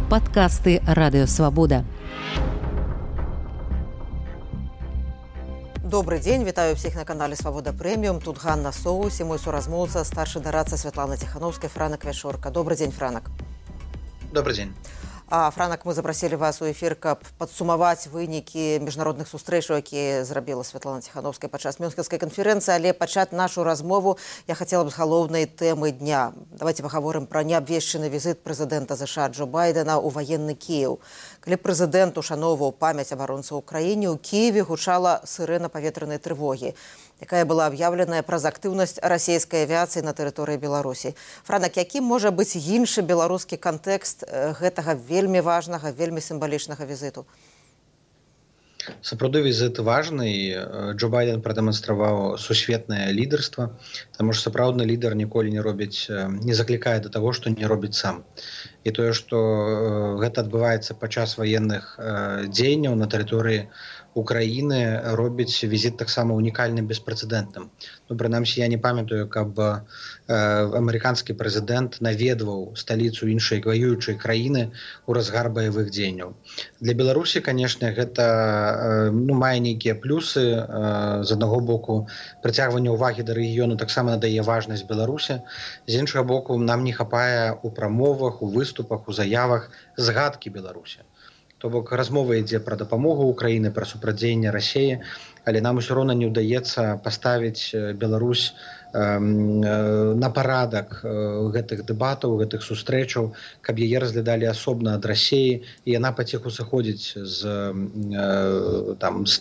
Падкасты Радыёвабода. Добрый день, вітаю всех на канале Свобода Премиум. Тут Ганна Соус и мой суразмоўца, старший дорадца Светлана Тихановская, Франак Вяшорка. Добрый день, Франак. Добрый день. Франак, мы запросили вас у эфир, каб падсумаваць вынікі міжнародных сустрэчаў, якія зрабіла Светлана Тихановская падчас Мюнхенскай канферэнцыі, але пачаць нашу размову я хотела бы з галоўнай тэмы дня. Давайте паговорым пра неабвешчаны візіт прэзідэнта США Джо Байдена ў ваенны Кіеў. Калі прэзідэнт ушаноўваў памяць абаронцаў Украіне, у Кіеве гучала сірэна паветранай трывогі, якая была аб'яўленая праз актыўнасць расійскай авіяцыі на тэрыторыі Беларусі. Франак, якім можа быць іншы беларускі кантэкст гэтага вельмі важнага, вельмі сімвалічнага візіту? Сапраўды візіт важны. Джо Байден прадэманстраваў сусветнае лідарства, таму што сапраўдны лідар ніколі не заклікае да таго, што не робіць сам. І тое, што гэта адбываецца падчас ваенных дзеянняў на тэрыторыі Украіны, робіць візіт таксама унікальным, беспрэцэдэнтным. Прынамсі, я не памятаю, каб амерыканскі прэзідэнт наведваў сталіцу іншай ваюючай краіны ў разгар баявых дзеянняў. Для Беларусі, канешне, гэта мае нейкія плюсы. З аднаго боку, прыцягванне ўвагі да рэгіёну таксама надае важнасць Беларусі. З іншага боку, нам не хапае ў прамовах, у выступах, у заявах згадкі Беларусі. То бок размова ідзе пра дапамогу Украіны, пра супрацьдзеянне Расіі, але нам усё роўна не ўдаецца паставіць Беларусь на парадак гэтых дэбатаў, гэтых сустрэчаў, каб яе разглядалі асобна ад Расіі, і яна паціху сыходзіць з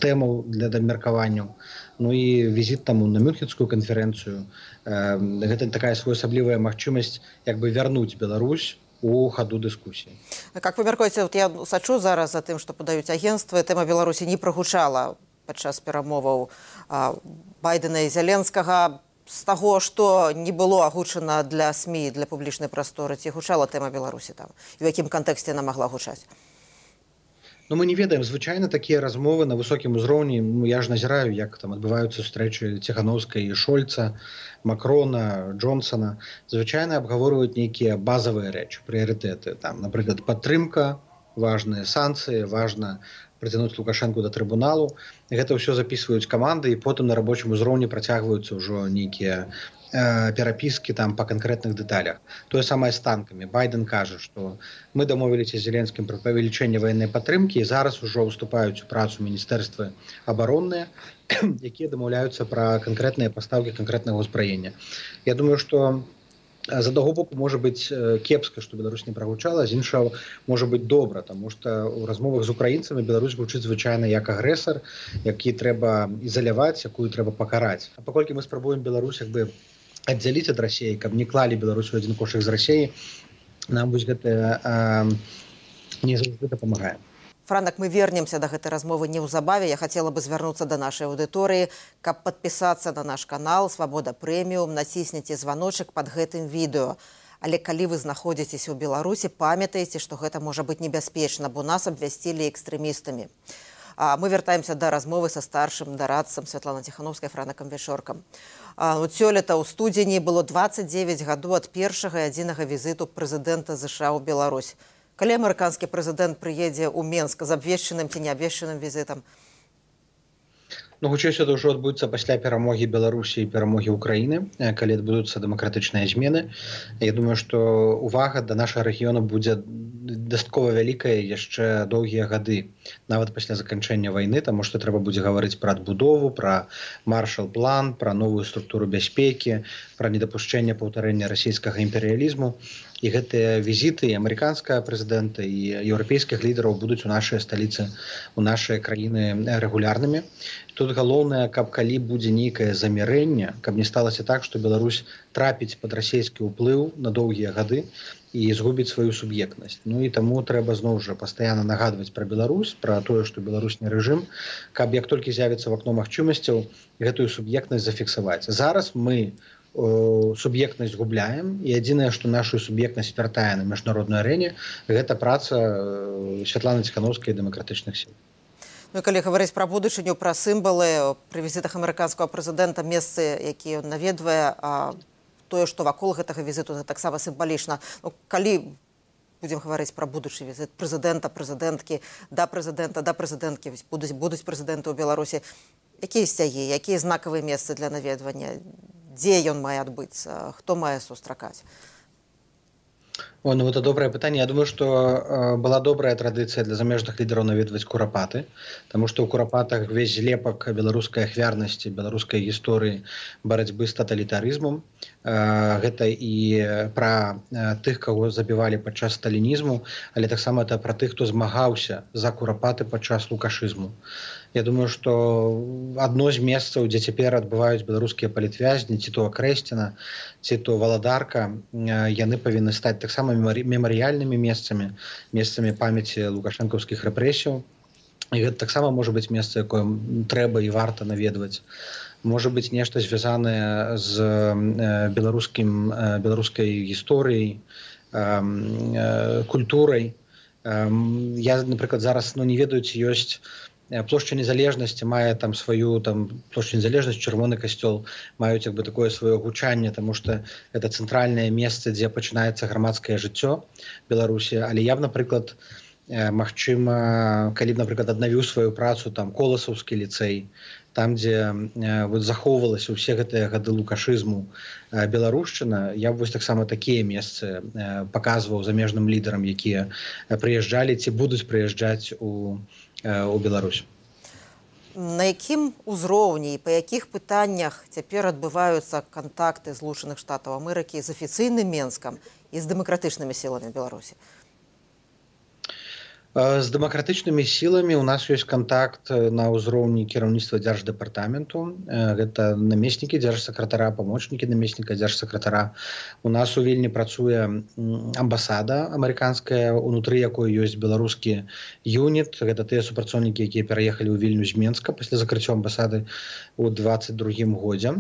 тэмаў для абмеркаванняў. І візіт таму на Мюнхенскую канферэнцыю, гэта такая своеасаблівая магчымасць як бы вярнуць Беларусь у хаду дыскусіі. Как вы мяркуеце, я сачу зараз за тым, што падаюць агенцтвы, тэма Беларусі не прагучала падчас перамоваў Байдена і Зеленскага. З таго, што не было агучана для СМІ, для публічнай прасторы, ці гучала тэма Беларусі там? І ў якім кантэксце яна магла гучаць? Мы не ведаем. Звычайна такія размовы на высокім узроўні, я ж назіраю, як там адбываюцца сустрэчы Тихановскай і Шольца, Макрона, Джонсона. Звычайна абгаворваюць нейкія базавыя рэчы, прыярытэты. Напрыклад, падтрымка, важныя санкцыі, важна прыцягнуць Лукашэнку да трыбуналу. Гэта ўсё запісваюць каманды, і потым на рабочым узроўні працягваюцца ўжо нейкія перапіскі па канкрэтных дэталях. Тое самае з танкамі. Байден кажа, што мы дамовіліся з Зеленскім пра павелічэнне ваеннай падтрымкі, і зараз ужо ўступаюць у працу міністэрствы абаронныя, якія дамаўляюцца пра канкрэтныя пастаўкі канкрэтнага ўзбраення. Я думаю, што з аднаго боку можа быць кепска, што Беларусь не прагучала, з іншага можа быць добра, таму што ў размовах з украінцамі Беларусь гучыць звычайна як агрэсар, які трэба ізаляваць, якую трэба пакараць. А паколькі мы спрабуем Беларусь аддзяліць ад Расіі, каб не клалі Беларусь у адзін кошык з Расіі, нам вось гэта не заўжды дапамагае. Франак, мы вернемся да гэтай размовы неўзабаве. Я хацела бы звярнуцца да нашай аўдыторыі, каб падпісацца на наш канал Свобода Премиум, націсніце званочак пад гэтым відэо. Але калі вы знаходзіцеся ў Беларусі, памятаеце, што гэта можа быць небяспечна, бо нас абвясцілі экстрэмістамі. Мы вяртаемся да размовы са старшым дарадцам Светланай Тихановскай, Франакам Вяшоркам. Сёлета ў студзені было 29 гадоў ад першага і адзінага візіту прэзідэнта США ў Беларусь. Калі амерыканскі прэзідэнт прыедзе ў Менск з абвешчаным ці неабвешчаным візітам? Хутчэй гэта ўжо адбудзецца пасля перамогі Беларусі і перамогі Украіны, калі адбудуцца дэмакратычныя змены. Я думаю, што увага да нашага рэгіёна будзе дастаткова вялікая яшчэ доўгія гады, нават пасля заканчэння вайны, таму што трэба будзе гаварыць пра адбудову, пра маршал-план, пра новую структуру бяспекі, пра недапушчэнне паўтарэння расійскага імперыялізму. І гэтыя візіты і амерыканскага прэзідэнта, і еўрапейскіх лідараў будуць у нашай сталіцы, у нашай краіны рэгулярнымі. Тут галоўнае, каб калі будзе нейкае замірэнне, каб не сталася так, што Беларусь трапіць пад расійскі ўплыў на доўгія гады і згубіць сваю суб'ектнасць. І таму трэба зноў жа пастаянна нагадваць пра Беларусь, пра тое, што Беларусь не рэжым, каб як толькі з'явіцца в акно магчымасцяў, гэтую суб'ектнасць зафіксаваць. Зараз мы суб'ектнасць губляем, і адзінае, што нашу суб'ектнасць вяртае на міжнароднай арэне, гэта праца Светланы Тихановскай і дэмакратычных сіл. Калі гаварыць пра будучыню, пра сімвалы, пры візітах амерыканскага прэзідэнта, месцы, якія ён наведвае, тое, што вакол гэтага візіту, гэта таксама сімвалічна. Калі будзем гаварыць пра будучы візіт прэзідэнта, прэзідэнткі, да прэзідэнткі, будуць прэзідэнты ў Беларусі. Якія сцягі, якія знакавыя месцы для наведвання? Дзе ён мае адбыцца? Хто мае сустракаць? Ну, это добрае пытанне. Я думаю, што была добрая традыцыя для замежных лідараў наведваць курапаты, таму што ў курапатах весь злепак беларускай ахвярнасці, беларускай гісторыі барацьбы з таталітарызмам. Гэта і пра тых, каго забівалі падчас сталінізму, але таксама это пра тых, хто змагаўся за курапаты падчас лукашызму. Я думаю, што адно з месцаў, дзе цяпер адбываюць беларускія палітвязні, ці то Акрэсціна, ці то Валадарка, яны павінны стаць таксама мемарыяльнымі месцамі памяці лукашэнкаўскіх рэпрэсіяў. І гэта таксама можа быць месца, якое трэба і варта наведваць. Можа быць нешта звязанае з беларускай гісторыяй, культурай. Я, напрыклад, зараз не ведаю, ці ёсць плошча незалежнасці, мае там сваю плошчу незалежнасць, чырвоны касцёл маюць як бы такое сваё гучанне, таму што гэта цэнтральнае месца, дзе пачынаецца грамадскае жыццё Беларусі. Але я б, напрыклад, магчыма, калі б, напрыклад, аднавіў сваю працу Коласаўскі ліцэй, там, дзе захоўвалася ўсе гэтыя гады лукашызму беларушчына, я б таксама такія месцы паказваў замежным лідарам, якія прыязджалі ці будуць прыязджаць у Беларусь. На якім узроўні і па якіх пытаннях цяпер адбываюцца кантакты Злучаных Штатаў Амерыкі з афіцыйным Менскам і з дэмакратычнымі сіламі Беларусі? З дэмакратычнымі сіламі ў нас ёсць кантакт на ўзроўні кіраўніцтва дзярждэпартаменту. Гэта намеснікі дзяржсакратара, памочнікі намесніка дзяржсакратара. У нас у Вільні працуе амбасада амерыканская, унутры якой ёсць беларускі юніт. Гэта тыя супрацоўнікі, якія пераехалі ў Вільню з Менска пасля закрыцця амбасады ў 2022 годзе.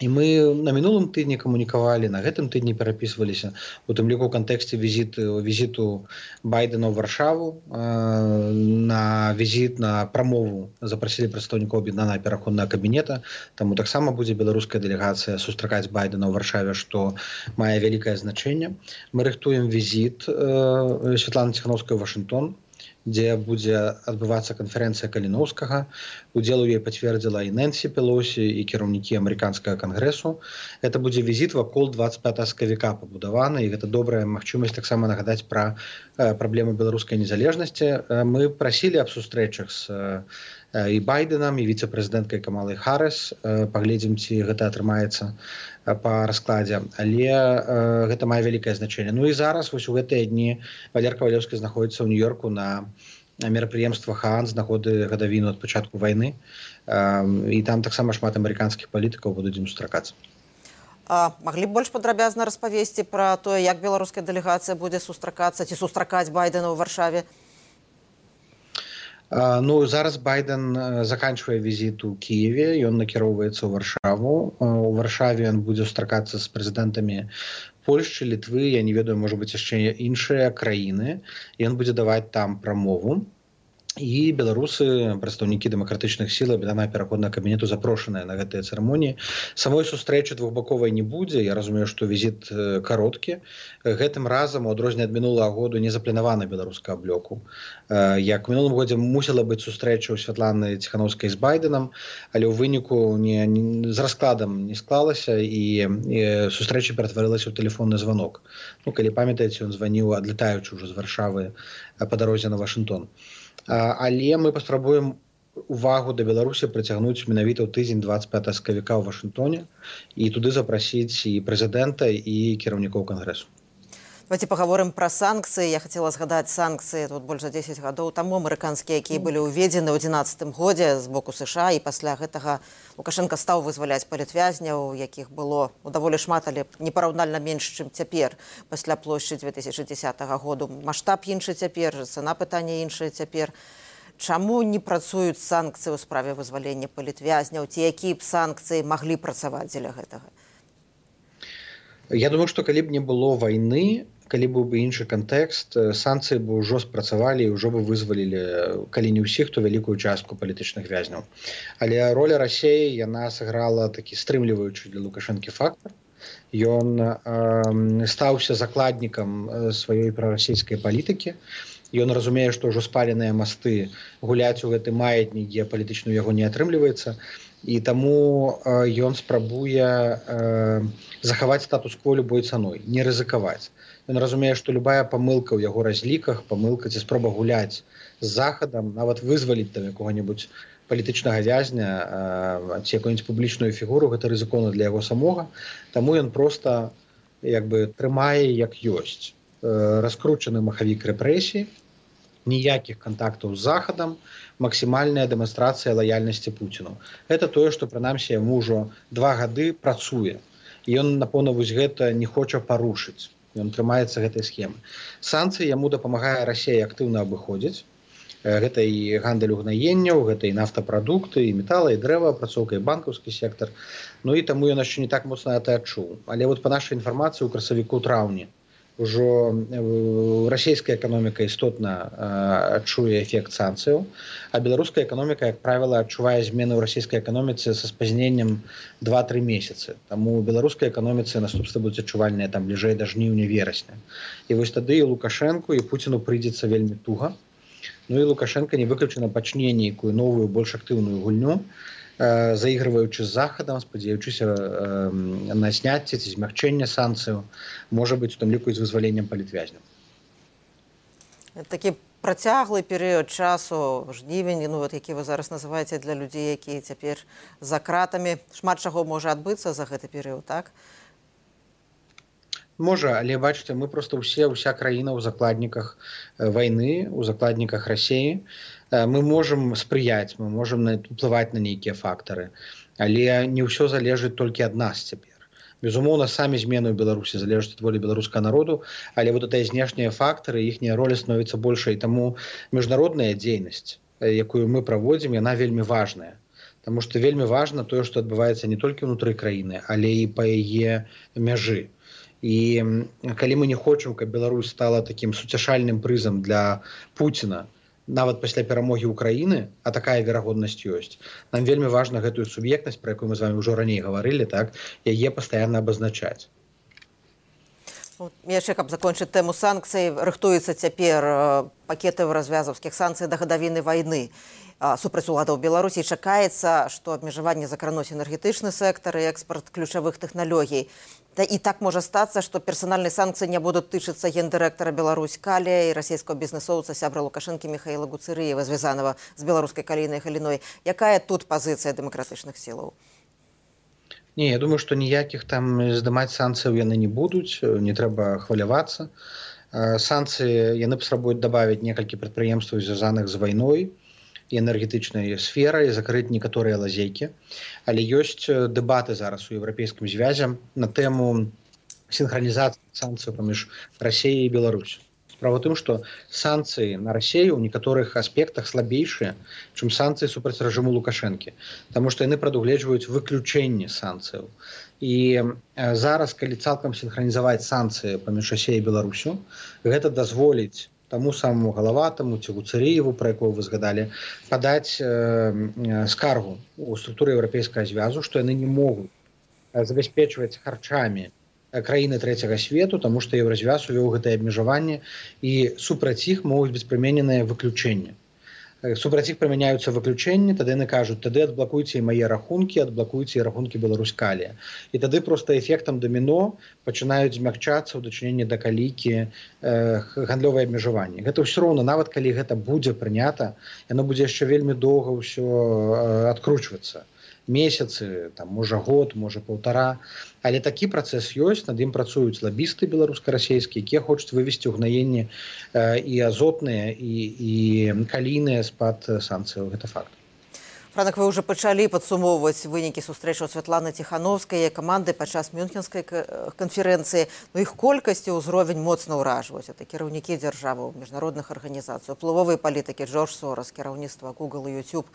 І мы на мінулым тыдні камунікавалі, на гэтым тыдні перапісваліся, у тым ліку ў кантэксце візіту Байдена ў Варшаву. На візіт, на прамову запрасілі прадстаўнікоў аб'яднанага пераходнага кабінета, таму таксама будзе беларуская дэлегацыя сустракаць Байдена ў Варшаве, што мае вялікае значэнне. Мы рыхтуем візіт Святланы Ціханаўскай ў Вашынгтон, дзе будзе адбывацца канферэнцыя Каліноўскага. Удзел у ёй пацвердзіла і Нэнсі Пелосі, і кіраўнікі амерыканскага кангрэсу. Гэта будзе візіт вакол 25 сакавіка пабудаваны, і гэта добрая магчымасць таксама нагадаць пра праблемы беларускай незалежнасці. Мы прасілі аб сустрэчах з і Байденам, і віцэ-прэзідэнткай Камалай Харрыс. Паглядзім, ці гэта атрымаецца па раскладзе, але гэта мае вялікае значэнне. Ну і зараз вось у гэтыя дні Валер Кавалеўскі знаходзіцца ў Нью-Йорку на мерапрыемствах ААН з нагоды гадавіну ад пачатку вайны, і там таксама шмат амерыканскіх палітыкаў будуць ім сустракацца. Маглі б больш падрабязна распавесці пра тое, як беларуская дэлегацыя будзе сустракацца ці сустракаць Байдена ў Варшаве? Ну, зараз Байден заканчвае візіт у Кіеве, ён накіроўваецца ў Варшаву. У Варшаве ён будзе сустракацца з прэзідэнтамі Польшчы, Літвы, я не ведаю, можа быць яшчэ іншыя краіны. Ён будзе даваць там прамову. І беларусы, прадстаўнікі дэмакратычных сіл аб'яднанага пераходнага кабінету запрошаныя на гэтыя цырымоніі. Самой сустрэчы двухбаковай не будзе. Я разумею, што візіт кароткі. Гэтым разам, у адрозненне ад минулага году, не запланавана беларускага блоку. Як у мінулым годзе мусіла быць сустрэча ў Святланы Ціханаўскай з Байденам, але ў выніку з раскладам не склалася, і сустрэча ператварылася ў тэлефонны званок. Ну, калі памятаеце, ён званіў, адлетаючы ўжо з Варшавы па дарозе на Вашынгтон. Але мы паспрабуем увагу да Беларусі прыцягнуць менавіта ў тыдзень 25 сакавіка ў Вашынгтоне і туды запрасіць і прэзідэнта, і кіраўнікоў кангрэсу. Давайте паговорым пра санкцыі. Я хацела згадаць санкцыі тут больш за 10 гадоў таму амерыканскія, якія былі ўведзены ў 2011 годзе з боку США, і пасля гэтага Лукашенко стаў вызваляць палітвязняў, якіх было даволі шмат, але непараўнальна менш, чым цяпер пасля плошчы 2010 году. Маштаб іншы цяпер, цана пытання іншая цяпер. Чаму не працуюць санкцыі ў справе вызвалення палітвязняў, ці якія б санкцыі маглі працаваць дзеля гэтага? Я думаю, што калі б не было вайны, калі быў бы іншы кантэкст, санкцыі бы ўжо спрацавалі і ўжо бы вызвалілі, калі не ўсіх, то вялікую частку палітычных вязняў. Але роля Расіі, яна сыграла такі стрымліваючы для Лукашэнкі фактор. Ён стаўся закладнікам сваёй прарасійскай палітыкі. Ён разумее, што ўжо спаленыя масты гуляць у гэты маятнік геапалітычны ў яго не атрымліваецца. І таму ён спрабуе захаваць статус-кво любой цаной, не рызыкаваць. Ён разумее, што любая памылка ў яго разліках, памылка ці спроба гуляць з захадам, нават вызваліць там якога-небудзь палітычнага вязня ці якую-нибудь публічную фігуру, гэта рызыкоўна для яго самога. Таму ён проста трымае як ёсць. Раскручаны махавік рэпрэсій, ніякіх кантактаў з захадам, максімальная дэманстрацыя лаяльнасці Пуціну. Гэта тое, што прынамсі яму ўжо 2 гады працуе. І ён, напэўна, вось гэта не хоча парушыць. Ён трымаецца гэтай схемы. Санкцыі яму дапамагае Расія актыўна абыходзіць. Гэта і гандаль угнаенняў, гэта і нафтапрадукты, і метала, і дрэваапрацоўка, і банкаўскі сектар. Ну і таму ён яшчэ не так моцна гэта адчуў. Але вот па нашай інфармацыі ў красавіку-траўні ўжо расійская эканоміка істотна адчуе эфект санкцыяў, а беларуская эканоміка, як правіла, адчувае змены ў расійскай эканоміцы са спазненнем 2-3 месяцы. Таму у беларускай эканоміцы наступствы будуць адчувальныя там бліжэй да жніўня-верасня. І вось тады і Лукашэнку, і Пуціну прыйдзецца вельмі туга. Ну і Лукашенко не выключана пачне нейкую новую, больш актыўную гульню, заігрываючы з захадам, спадзяючыся на зняцце ці змягчэнне санкцыяў, можа быць, у тым ліку і з вызваленнем палітвязняў. Такі працяглы перыяд часу, жнівень, які вы зараз называеце для людзей, якія цяпер за кратамі. Шмат чаго можа адбыцца за гэты перыяд, так? Можа, але бачыце, мы проста ўся краіна ў закладніках вайны, у закладніках Расіі. Мы можам спрыяць, мы можам уплываць на нейкія фактары, але не ўсё залежыць толькі ад нас цяпер. Безумоўна, самі змены ў Беларусі залежаць ад волі беларускага народу, але вот гэтыя знешнія фактары, іхняя роля становіцца большай, таму міжнародная дзейнасць, якую мы праводзім, яна вельмі важная. Таму што вельмі важна тое, што адбываецца не толькі ўнутры краіны, але і па яе мяжы. І калі мы не хочам, каб Беларусь стала такім суцяшальным прызам для Пуціна, нават пасля перамогі Украіны, а такая верагоднасць ёсць, нам вельмі важна гэтую суб'ектнасць, пра якую мы з вами ўжо раней гаварылі, так, яе пастаянна абазначаць. Яшчэ, каб закончыць тэму санкцый, рыхтуецца цяпер пакетаў развязаўскіх санкцый да гадавіны вайны супраць уладаў Беларусі. Чакаецца, што абмежаванне закрануць энергетычны сектар і экспарт ключавых тэхналогій. І так можа стацца, што персанальныя санкцыі не будуць тычыцца гендырэктара Беларусь Калія і расійскага бізнесоўца сябра Лукашэнкі Міхаіла Гуцырыева, звязанага з беларускай калійнай галіной. Якая тут пазіцыя дэмакратычных сілаў? Не, я думаю, што ніякіх там здымаць санкцыяў яны не будуць, не трэба хвалявацца. Санкцыі яны паспрабуюць дабавіць некалькі прадпрыемстваў, звязаных з вайной і энергетычнай сферай, закрыць некаторыя лазейкі. Але ёсць дэбаты зараз у еўрапейскім звязе на тэму сінхранізацыі санкцыяў паміж Расіяй і Беларусю. Справа ў тым, што санкцыі на Расію ў некаторых аспектах слабейшыя, чым санкцыі супраць рэжыму Лукашэнкі, таму што яны прадугледжваюць выключэнне санкцыяў. І зараз, калі цалкам сінхранізаваць санкцыі паміж Расіяй і Беларусю, гэта дазволіць таму самому Галаватаму ці Гуцырыеву, пра якого вы згадалі, падаць скаргу ў структуры еўрапейскага звязу, што яны не могуць забяспечваць харчамі краіны трэцяга свету, таму што Еўразвяз увёў гэтае абмежаванне і супраць іх могуць быць прымененыя выключэнні. Супраць іх прымяняюцца выключэнні, тады яны кажуць, тады адблакуйце і мае рахункі, адблакуйце і рахункі Беларусь Калія. І тады проста эфектам даміно пачынаюць змягчацца ў дачыненні да калійкі гандлёвыя абмежаванні. Гэта ўсё роўна, нават калі гэта будзе прынята, яно будзе яшчэ вельмі доўга ўсё адкручвацца. Месяцы, там, можа год, можа паўтара. Але такі працэс ёсць, над ім працуюць лабісты беларуска-расейскія, якія хочуць вывесці ўгнаенні і азотныя, і калійныя з-пад санкцыяў. Гэта факт. Франак, вы ўжо пачалі падсумоўваць вынікі сустрэчаў Святланы Ціхановскай і каманды падчас Мюнхенскай канферэнцыі. Іх колькасць і ўзровень моцна ўражваюць. Это кіраўнікі дзяржаваў, міжнародных арганізацый, уплывовыя палітыкі, Джордж Сорас, кіраўніцтва Google і YouTube.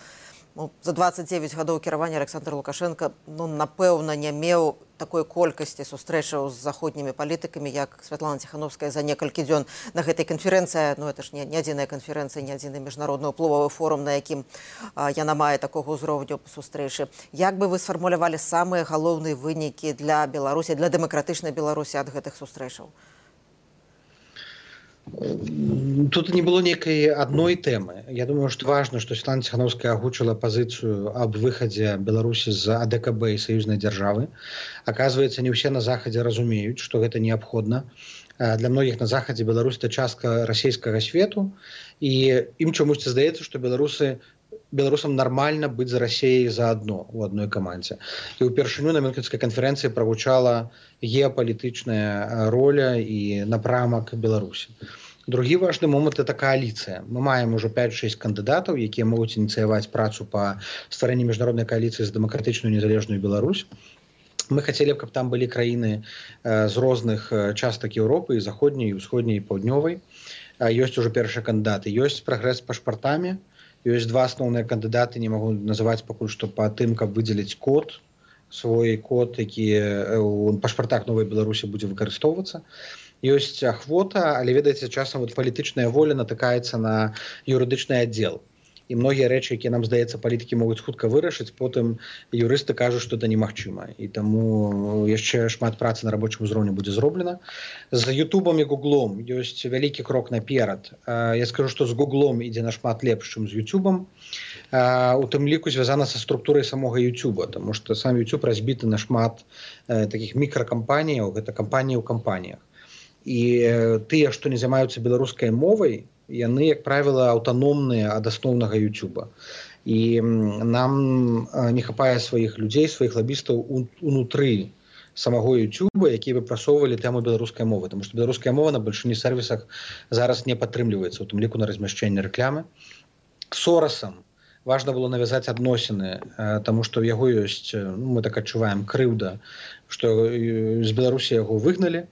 За 29 гадоў кіравання Александр Лукашенко, напэўна, не меў такой колькасці сустрэчаў з заходнімі палітыкамі, як Святлана Ціхановская за некалькі дзён на гэтай канферэнцыі. Ну, это ж не адзіная канферэнцыя, не адзіны міжнародны ўплывовы форум, на якім яна мае такога ўзроўню сустрэчы. Як бы вы сфармулявалі самыя галоўныя вынікі для Беларусі, для дэмакратычнай Беларусі ад гэтых сустрэчаў? Тут не было некой одной темы. Я думаю, что важно, что Светлана Тихановская агучила позицию об выходе Беларуси из АДКБ и союзной державы. Оказывается, не все на Заходе разумеют, что это необходимо. Для многих на Заходе Беларусь – это частка российского свету, и им чомусь здаецца, что беларусам нормально быть за Россией заодно у одной команде. И упершыню на Мюнхенской конференции прогучала геополитичная роля и напрамак Беларуси. Другі важны момант – это коалиция. Мы маем уже 5-6 кандидатов, якія могуць ініцыяваць працу по стварэнні міжнароднай коалиции за демократичную незалежную Беларусь. Мы хотели, каб там были краіны з розных частак Европы, и заходняй, и усходняй, и паўднёвай. Ёсць уже першыя кандидаты. Ёсць прагрэс з пашпартамі. Ёсць два асноўныя кандыдаты, не магу называць пакуль што па тым, каб выдзеліць код, свой код, які у пашпартах Новай Беларусі будзе выкарыстоўвацца. Ёсць ахвота, але, ведаеце, часам палітычная воля натыкаецца на юрыдычны аддзел. І многія рэчы, якія нам, здаецца, палітыкі могуць хутка вырашыць, потым юрысты кажуць, што это немагчыма. І таму яшчэ шмат працы на рабочым узроўні будзе зроблена. З Ютубам і Гуглом ёсць вялікі крок наперад. Я скажу, што з Гуглом ідзе нашмат лепш, чым з Ютубам. У тым ліку звязана са структурай самога Ютуба, таму што сам Ютуб разбіты на шмат такіх мікракампаніяў, гэта кампаніі ў кампаніях. І тыя, што не займаюцца беларускай мовай, яны, як правіла, аўтаномныя ад асноўнага Ютуба. І нам не хапае сваіх людзей, сваіх лабістаў унутры самого Ютуба, якія выпрасоўвалі тэму беларускай мовы. Таму што беларуская мова на бальшыні сервісах зараз не падтрымліваецца, у тым ліку на размяшчэнне рэклямы. Сорасам важна было навязаць адносіны, таму што ў яго ёсць, мы так адчуваем, крыўда, што з Беларусі яго выгналі,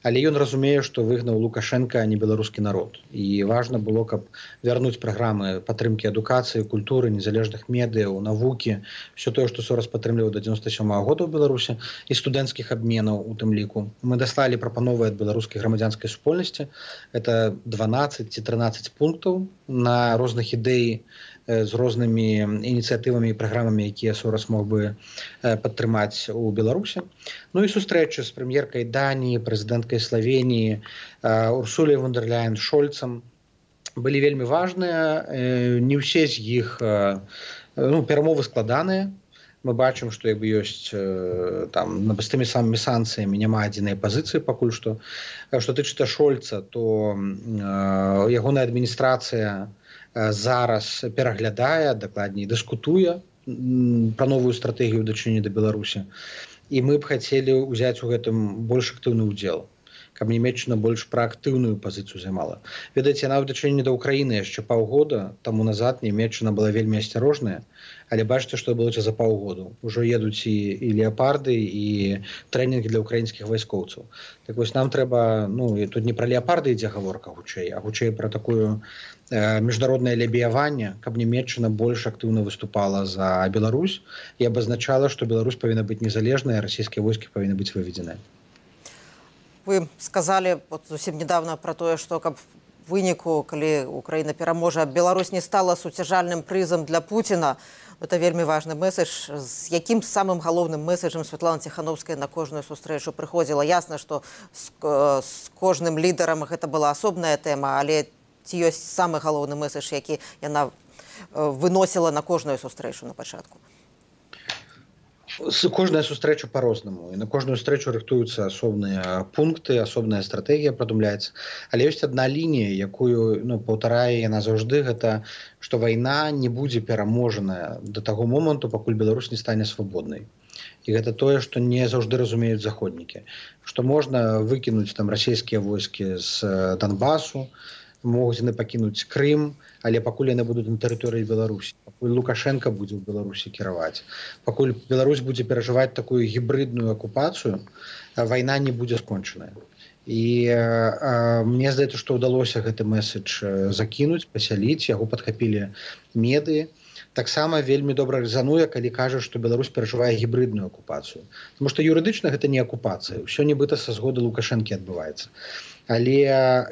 але ён разумее, што выгнаў Лукашенко, а не беларускі народ. І важна было, каб вярнуць праграмы падтрымкі адукацыі, культуры, незалежных медыяў, навукі, все тое, што Сорас падтрымліваў да 97-го года ў Беларусі, і студэнцкіх абменаў у тым ліку. Мы даслалі прапановы ад беларускай грамадзянскай супольнасці. Это 12 ці 13 пунктаў на розных ідэй з рознымі ініцыятывамі і праграмамі, якія Сорас мог бы падтрымаць у Беларусі. Ну і сустрэчы з прэм'еркай Даніі, прэзідэнткай Славеніі, Урсуляй фон дэр Ляйен, Шольцам былі вельмі важныя. Не ўсе з іх перамовы складаныя. Мы бачым, што як бы ёсць там з тымі самымі санкцыямі няма адзінай пазіцыі пакуль што. Што тычыцца Шольца, то ягоная адміністрацыя зараз пераглядае, дакладней дыскутуе пра новую стратэгію ў дачыненні да Беларусі. І мы б хацелі ўзяць у гэтым больш актыўны ўдзел, каб Нямецчына больш праактыўную пазіцыю займала. Ведаеце, нават дачыненне да Ўкраіны яшчэ паўгода таму назад Нямецчына была вельмі асцярожная, але бачыце, што было за паўгоду. Ужо едуць і леапарды, і трэнінгі для ўкраінскіх вайскоўцаў. Так вось нам трэба, і тут не пра леапарды ідзе гаворка хутчэй, а хутчэй пра такую міжнароднае лябіяванне, каб Нямецчына больш актыўна выступала за Беларусь і абазначала, што Беларусь павінна быць незалежная, а расійскія войскі павінны быць выведзеныя. Вы сказали зусім недавно про тое, што каб выніку, калі Украіна пераможа, Беларусь не стала суцяжальным прызам для Пуціна. Это вельмі важны месседж. З якім самым галоўным месседжам Святлана Ціхановская на кожную сустрэчу прыходзіла? Ясна, што з кожным лідарам гэта была асобная тэма, але ці ёсць самы галоўны месседж, які яна выносіла на кожную сустрэчу на пачатку? Кожная сустрэча по-рознаму, і на кожную сустрэчу рыхтуюцца асобныя пункты, асобная стратэгія прадумляецца. Але ёсць адна лінія, якую паўтарае яна заўжды, гэта што вайна не будзе пераможаная да таго моманту, пакуль Беларусь не стане свабоднай. І гэта тое, што не заўжды разумеюць заходнікі. Што можна выкінуць там расійскія войскі з Донбасу, могуць яны пакінуць Крым, але пакуль яны будуць на тэрыторыі Беларусі, пакуль Лукашенко будзе ў Беларусі кіраваць, пакуль Беларусь будзе перажываць такую гібридную акупацыю, вайна не будзе скончаная. І мне здаецца, што ўдалося гэты месседж закінуць, пасяліць, яго падхапілі медыі. таксама вельмі добра рэзануе, калі кажа, што Беларусь перажывае гібридную акупацыю. Таму што юрыдычна гэта не акупацыя, ўсё нібыта са згоды Лукашэнкі адбываецца. Але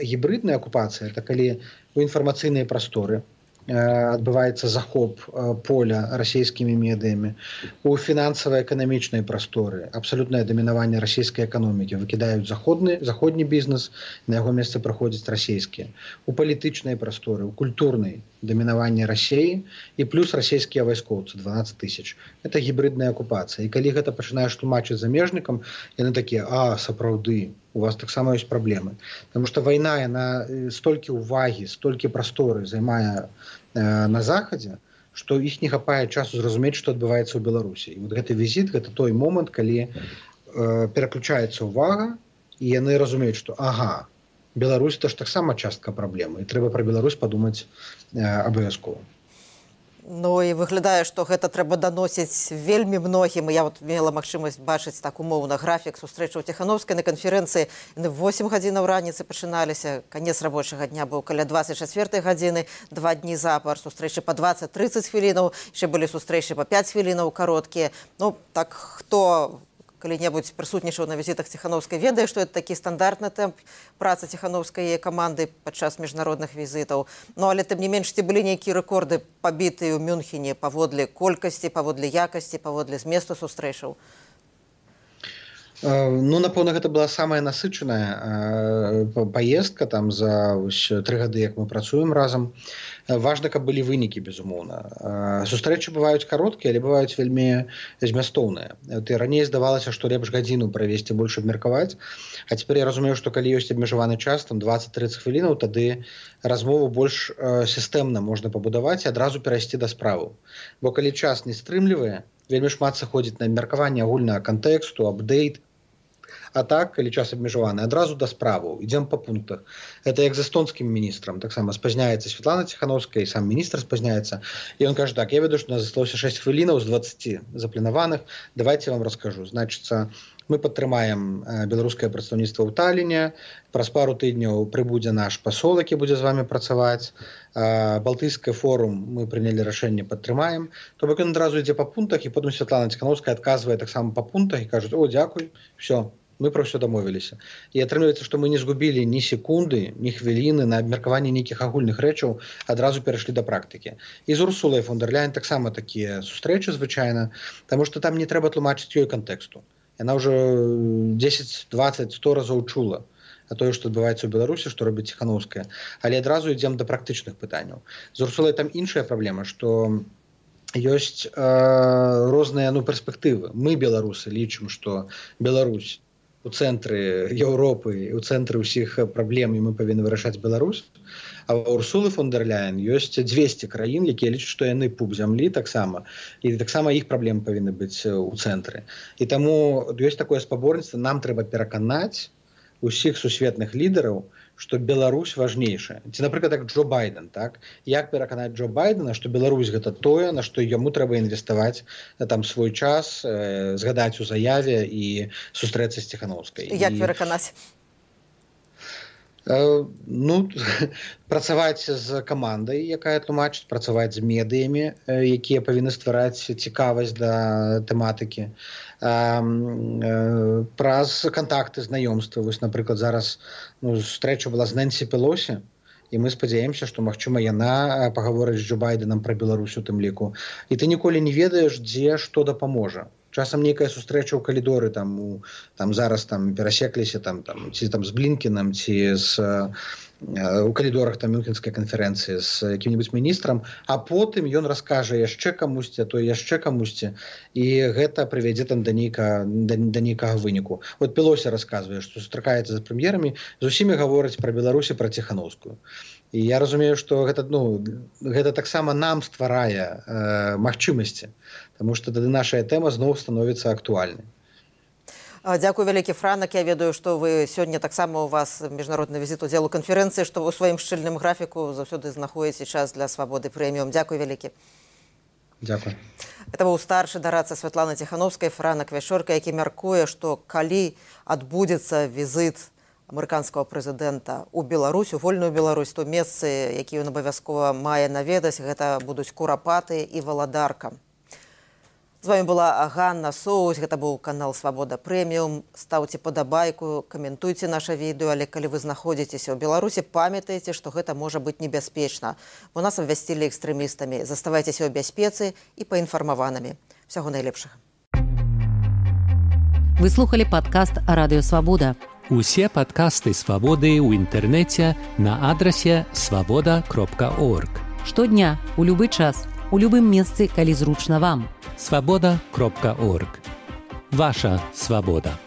гібридная акупацыя это калі у інфармацыйныя прасторы адбываецца захоп поля расійскімі медыямі, у фінансава-эканамічнай прасторы абсалютнае дамінаванне расійскай эканомікі, выкідаюць заходні бізнес, на яго месца праходзяць расійскія, у палітычнай прасторы, у культурнай дамінаванне Расіі і плюс расійскія вайскоўцы 12 000. Это гібридная акупацыя. І калі гэта пачынаеш тлумачыць замежнікам, яны такія: а, сапраўды, у вас таксама ёсць праблемы. Таму што вайна, яна столькі ўвагі, столькі прасторы займае на захадзе, што іх не хапае часу зразумець, што адбываецца ў Беларусі. І вот гэты візіт, гэта той момант, калі пераключаецца ўвага, і яны разумеюць, што ага, Беларусь это ж таксама частка праблемы, і трэба пра Беларусь падумаць абавязкова. Ну і выглядае, што гэта трэба даносіць вельмі многім. Я вот мела магчымасць бачыць так умоўна графік сустрэчаў Ціханаўскай на канферэнцыі. Яны в 8 гадзінаў раніцы пачыналіся. Канец рабочага дня быў каля 24 гадзіны, 2 дні запар, сустрэчы па 20-30 хвілінаў, яшчэ былі сустрэчы па 5 хвілінаў кароткія. Ну так хто калі-небудзь прысутнічаў на візітах Ціханаўскай, ведае, што это такі стандартны тэмп працы Ціханаўскай каманды падчас міжнародных візітаў. Ну, але тым не менш, ці былі нейкія рэкорды пабітыя ў Мюнхене паводле колькасці, паводле якасці, паводле зместу сустрэчаў? Ну, напэўна, гэта была самая насычаная паездка там за 3 гады, як мы працуем разам. Важна, каб былі вынікі, безумоўна. Сустрэчы бываюць кароткія, але бываюць вельмі змястоўныя. Раней здавалася, што лепш гадзіну правесці, больш абмеркаваць. А цяпер я разумею, што калі ёсць абмежаваны час, там 20-30 хвілінаў, тады размову больш сістэмна можна пабудаваць і адразу перайсці да справаў. Бо калі час не стрымлівае, вельмі шмат сыходзіць на абмеркаванне агульнага кантэксту, апдейт. А так, калі час абмежаваны, адразу да справаў, ідзем па пунктах. Это як з эстонскім міністрам, таксама спазняецца Святлана Ціханаўская, і сам міністр спазняецца. І ён кажа так: я ведаю, што у нас засталося 6 хвілінаў з 20 запланаваных, давайте я вам раскажу. Значыцца, мы падтрымаем беларускае прадстаўніцтва ў Таліне, праз пару тыдняў прыбудзе наш пасол, які будзе з вами працаваць. Балтыйскі форум мы прынялі рашэнне, падтрымаем. То бок ён адразу ідзе па пунктах, і потым Святлана Ціханаўская адказвае таксама па пунктах і кажуць: о, дзякуй, все. Мы про все дамовіліся. І атрымліваецца, што мы не згубілі ні секунды, ні хвіліны на абмеркаванне нейкіх агульных рэчаў, адразу перайшлі да практыкі. І з Урсулай фон дэр Ляйен таксама такія сустрэчы звычайна, таму што там не трэба тлумачыць ёй кантэксту. Яна ўжо 10, 20, 100 разоў чула а тое, што адбываецца ў Беларусі, што робіць Ціханаўская. Але адразу ідзем да практычных пытанняў. З Урсулай там іншая праблема, што ёсць розныя перспектывы. Мы, беларусы, лічым, што Беларусь у цэнтры Еўропы, у цэнтры ўсіх праблем, і мы павінны вырашаць Беларусь. А ў Урсулы фон дэр Ляйен ёсць 200 краін, якія лічаць, што яны пуп зямлі таксама. І таксама іх праблемы павінны быць у цэнтры. І таму ёсць такое спаборніцтва, нам трэба пераканаць усіх сусветных лідараў, што Беларусь важнейшая. Ці, напрыклад, як Джо Байден, так? Як пераканаць Джо Байдена, што Беларусь гэта тое, на што яму трэба інвеставаць там свой час, згадаць у заяве і сустрэцца з Ціханаўскай. Як пераканаць? Ну, працаваць з камандай, якая тлумачыць, працаваць з медыямі, якія павінны ствараць цікавасць да тэматыкі. Праз кантакты, знаёмствы. Вось, напрыклад, зараз сустрэча была з Нэнсі Пелосі, і мы спадзяемся, што, магчыма, яна пагаворыць з Джо Байденам пра Беларусь у тым ліку. І ты ніколі не ведаеш, дзе што дапаможа. Часам нейкая сустрэча ў калідоры, там зараз перасекліся ці з Блінкенам, ці у калідорах мюнхенскай канферэнцыі з якім-небудзь міністрам, а потым ён раскажа яшчэ камусьці, а то яшчэ камусьці, і гэта прывядзе да нейкага выніку. Вот Пелосі расказвае, што сустракаецца з прэм'ерамі, з усімі гаворыць пра Беларусь і пра Ціханаўскую. І я разумею, што гэта таксама нам стварае магчымасці, таму што тады наша тэма зноў становіцца актуальнай. Дзякуй вялікі, Франак. Я ведаю, што вы сёння таксама у вас міжнародны візіт удзел у канферэнцыі, што вы ў сваім шчыльным графіку заўсёды знаходзіце час для Свабоды прэміум. Дзякуй вялікі. Дзякуй. Это быў старшы дарадца Святланы Ціханаўскай, Франак Вячорка, які мяркуе, што калі адбудзецца візіт амерыканскага прэзідэнта ў Беларусь, у вольную Беларусь, то месцы, якія ён абавязкова мае наведаць, гэта будуць Курапаты і Валадарка. З вами была Ганна Соус, гэта быў канал Свабода Прэміум. Стаўце падабайку, каментуйце наша відэо, але калі вы знаходзіцеся ў Беларусі, памятайце, што гэта можа быць небяспечна, бо нас абвясцілі экстрэмістамі. Заставайцеся ў бяспецы і паінфармаванымі. Всяго найлепшага. Вы слухали падкаст Радыё Свабода. Усе падкасты Свабоды ў інтэрнэце на адрасе swaboda.org. Штодня, у любы час, у любым месцы, калі зручна вам. swaboda.org. Ваша свабода.